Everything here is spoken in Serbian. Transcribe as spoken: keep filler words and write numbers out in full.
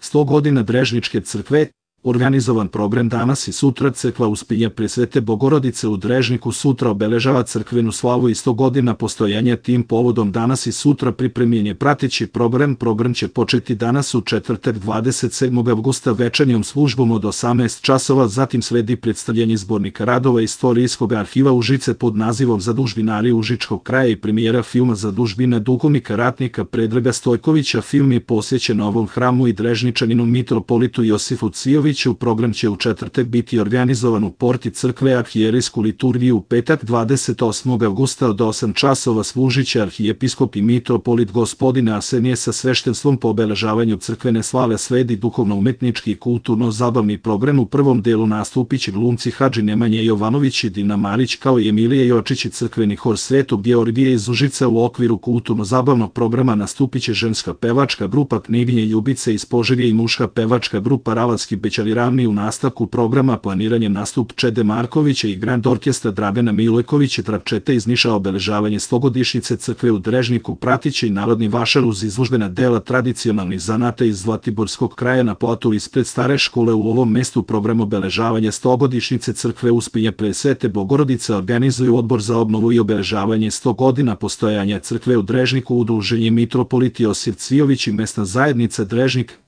sto godina Drežničke crkve, organizovan program danas i sutra. Crkva Uspinja Presvete Bogorodice u Drežniku sutra obeležava crkvenu slavu i sto godina postojanja. Tim povodom danas i sutra pripremljen je prateći program. Program će početi danas u četvrtak dvadeset sedmog avgusta večernjom službom od osamnaest časova, zatim sledi predstavljanje zbornika radova Istorijskog arhiva Užice pod nazivom Zadužbinari Užičkog kraja i premijera filma Zadužbina duhovnika ratnika Predraga Stojkovića. Film je posvećen ovom hramu i Drežničaninu mitropolitu Josifu Cijoviću. Program će u četvrtak biti organizovan u porti crkve. Arhijerijsku liturgiju u petak dvadeset osmog avgusta od osam časova služiće arhijepiskop i mitropolit gospodin Arsenije sa sveštenstvom. Po obeležavanju crkvene slave sledi duhovno-umetnički i kulturno-zabavni program. U prvom delu nastupiće glumci Hadži Nemanja Jovanović i Dina Marić kao i Emilija Jočić i crkveni hor Svetog Georgija iz Užica. U okviru kulturno-zabavnog programa nastupiće ženska pevačka grupa Knjiginje Ljubice iz Požege i muška pevačka grupa Ravalski Bećari Ravni. U nastavku programa planiranjem nastup Čede Markovića i Grand Orkestra Dragana Milojkovića Trapčeta iz Niša. Obeležavanje stogodišnjice crkve u Drežniku pratiće i narodni vašar uz izložbena dela tradicionalnih zanata iz Zlatiborskog kraja na platu ispred stare škole. U ovom mestu program obeležavanja stogodišnjice crkve Uspinja Presvete Bogorodice organizuju Odbor za obnovu i obeležavanje sto godina postojanja crkve u Drežniku, Udruženje mitropolit Josif Cvijović i mesna zajednica Drežnik.